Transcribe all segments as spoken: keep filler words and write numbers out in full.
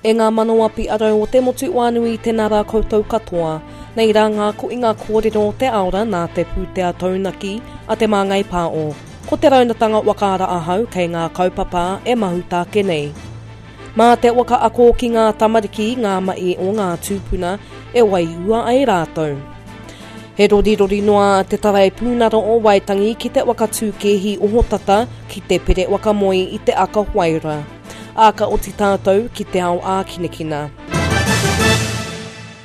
E ngā manawa piarau o te motu wānui tēnā rā koutou katoa. Nei rā ngā koinga kōrero o te aora nā te pūtea taunaki a Te Māngai Pāo. Ko te raunatanga wakaara ahau kei ngā kaupapa e mahuta ake nei. Mā te waka ako ki ngā tamariki ngā mahi o ngā tūpuna e waiua ai rātou. He rorirori noa te Taraipiunara o Waitangi ki te waka tūkēhi ohotata ki te pere waka moe i te aka waira. Ā, ka oti tātou ki te ao ākinakina.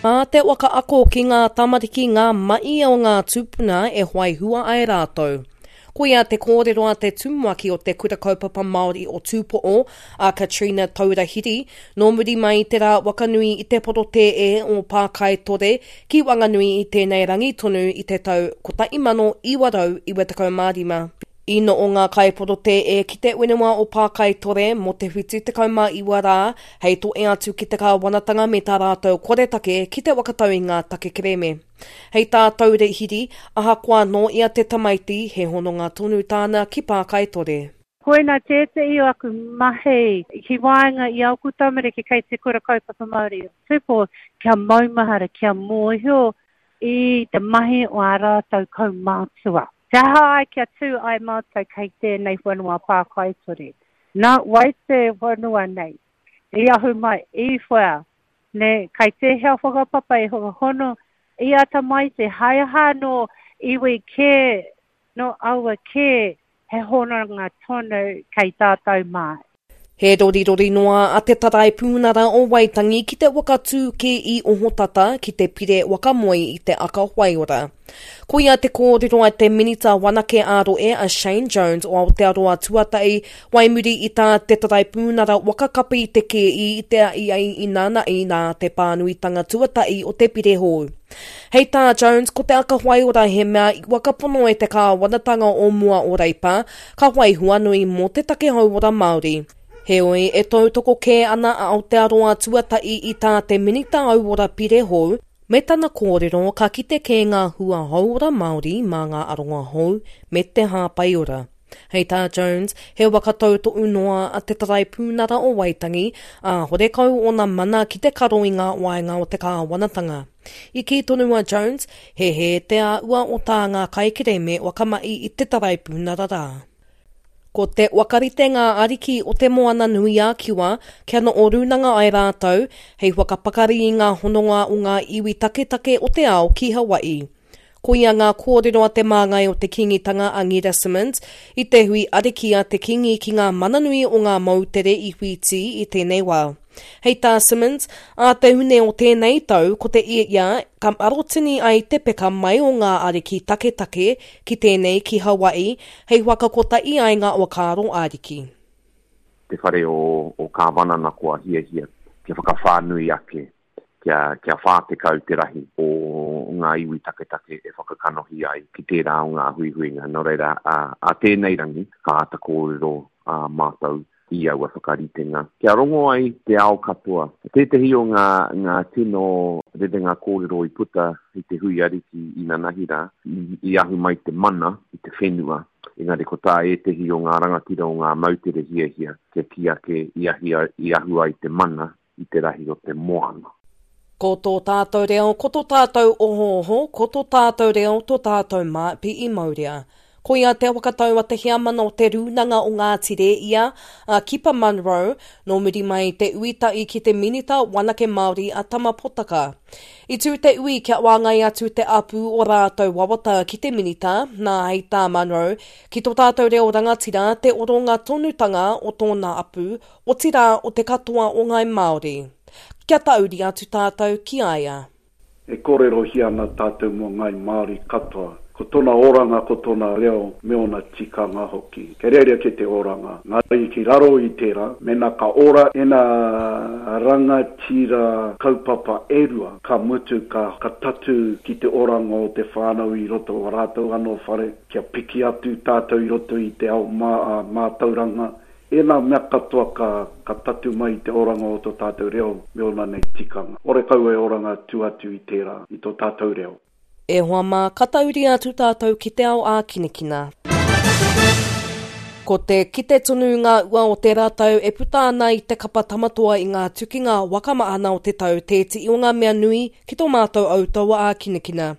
Mā te waka ako ki ngā tamariki ngā mahi o ngā tūpuna e whai hua ai rātou. Koia te kōrero a te tumuaki o te Kura Kaupapa Māori o Tūpo'o, a Katrina Taurahiri, nō muri mai i te rā wakanui i te porotēe o Pākaitore ki Wanganui i tēnei rangi tonu i te tau kotahi mano iwa rau iwa tekau mā rima. I noho ngā kaiporotēe ki te whenua o Pākaitore mō te whitu tekau mā iwa rā hei toe atu ki te kāwanatanga me tā rātou koretake ki te whakatau i ngā take kerēme. Hei tā Taurehiri, ahakoa nō ia te tamaiti, he hononga tonu tāna ki Pākaitore. Koina tētehi o aku mahi ki waenga i āku tamariki kei te Kura Kaupapa Māori o Tupou, kia maumahara, kia mōhio i te mahi o ā rātou kaumātua. Te aha ai kia tū ai mātou kei tēnei whenua Pākaitore? Nā wai te whenua nei i ahu mai, i whea, nē, kei tēhea whakapapa e whakahono i a tamaiti, hai aha nō iwi kē, nō aua kē, he hononga tonu kei tātou mā. He rorirori noa a Te Taraipiunara o Waitangi ki te whakatū kē i ohotata ki te pire wakamoe i te aka waiora. Koia te kōrero a te Minita Wanake ā-Rohe a Shane Jones o Aotearoa Tuatahi wai muri i tā te Taraipiunara wakakapi i te kēhi i te ahiahi inanahi nā te pānuitanga tuatahi o te pire hou. Hei tā Jones, ko te aka waiora he mea i whakapono e te kāwanatanga o mua o Reipa, ka whai huanui mō te take hauora Māori. Heoi, e tautoko kē ana a Aotearoa Tuatahi i tā te Minita Hauora pire hou, me tana kōrero ka kite kē ngā hua hauora Māori mā ngā aronga hou me te hāpaiora. Hei tā Jones, he waka tautohu noa a te Taraipiunara o Waitangi, ā, horekau ōna mana ki te karo i ngā waenga o te kāwanatanga. I kī tonu a Jones, he hē te āhua o tā ngā kaikerēme whakamahi i te Taraipiunara rā. Ko te whakarite ngā ariki o Te Moana-nui-a-Kiwa kia noho rūnanga ai rātou hei whakapakari i ngā hononga o ngā iwi taketake o te ao ki Hawaii. Koia ngā kōrero a te māngai o te Kīngitanga a Ngīra Simmonds i te hui ariki a te Kīngi ki ngā mananui o ngā moutere i Whītī i tēnei wā. Hei tā Simmonds, ā te Hune o tēnei tau ko te ia ka arotini ai te peka mai o ngā ariki taketake ki tēnei ki Hawaii hei whakakotahi ai ngā whakaaro ariki. Te whare o, o Kāwanana kua hiahia kia whakawhānui ake, kia, kia whā tekau te rahi o ngā iwi taketake e whakakanohi ai ki tērā o ngā huihuinga. Nō reira, ā, ā tēnei rangi, ka āta kōrero ā mātou i aua whakaritenga. Kia rongo ai te ao katoa. Tētehi o ngā, ngā tino rerenga kōrero i puta i te hui ariki inanahi rā, i, i ahu mai te mana i te whenua, engari ko tā ētehi o ngā rangatira o ngā moutere hiahia kia kī ake i ahi, i ahu ai te mana i te rahi o te moana. Ko tō tātou reo, ko tō tātou ohooho, ko tō tātou reo, tō tātou māpi i maurea. Koia te whakatau a te heamana o te Rūnanga o Ngāti Rēia, a Kipa Munro, nō muri mai i te ui tahi ki te Minita Wanake Māori a Tama Potaka. I tū te ui kia whāngai atu te apu o rātou wawata ki te Minita, nā hei tā Munro, ki tō tātou reo rangatira te oronga tonutanga o tōna apu, otirā o te katoa o ngāi Māori. Kia tauri atu tātou ki a ia. E kōrerohia ana tātou mō ngāi Māori katoa, ko tōna oranga, ko tōna reo me ōna tikanga hoki. Kei reira kē te oranga. Engari ki raro i tērā, mēnā ka ora ēnā rangatira kaupapa e rua, ka mutu ka ka tatū ki te oranga o te whānau i roto o rātou anō whare, kia piki atu tātou i roto i te ao mātauranga, Ēnā mea katoa ka, ka tatu mai i te oranga o tō tātou reo me ōna nei tikanga. Horekau e oranga tua atu i tērā, i tō tātou reo. E hoa mā, ka tauri atu tātou ki te ao ākinakina. Ko te kite tonu ngā ua o te rātau e puta ana i te kapa tamatoa i ngā tukinga waka maana o te tau tēti o ngā mea nui ki tō mātou autaua a kinakina.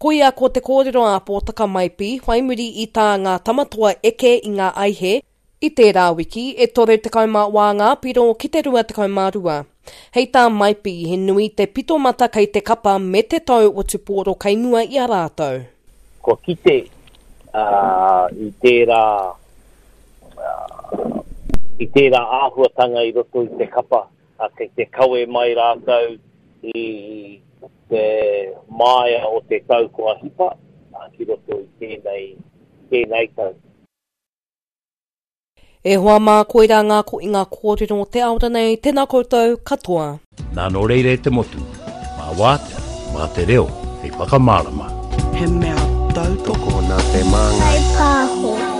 Koia ko te kōrero a Pōtaka Maipi, whai muri i tā ngā tamatoa eke i ngā aihe, i tērā wiki e toru tekau mā wā ngā piro ki te rua tekau mā rua. Hei tā Maipi, he nui te pito mata kei te kapa me te tau o tupōro kei mua i a rātou. Kua kite uh, i tērā uh, i tērā āhuatanga i roto i te kapa, uh, kei te kawe mai rātou i te māia o te tau kua hipa uh, ki roto i tēnei, tēnei tau. E hoa mā koira ngā ko i ngā kōrero te aora nei, tēnā koutou katoa. Nā nō reire te motu, mā wātea, mā te reo, hei whakamārama. He mea tautoko nā te māngai. Pāho.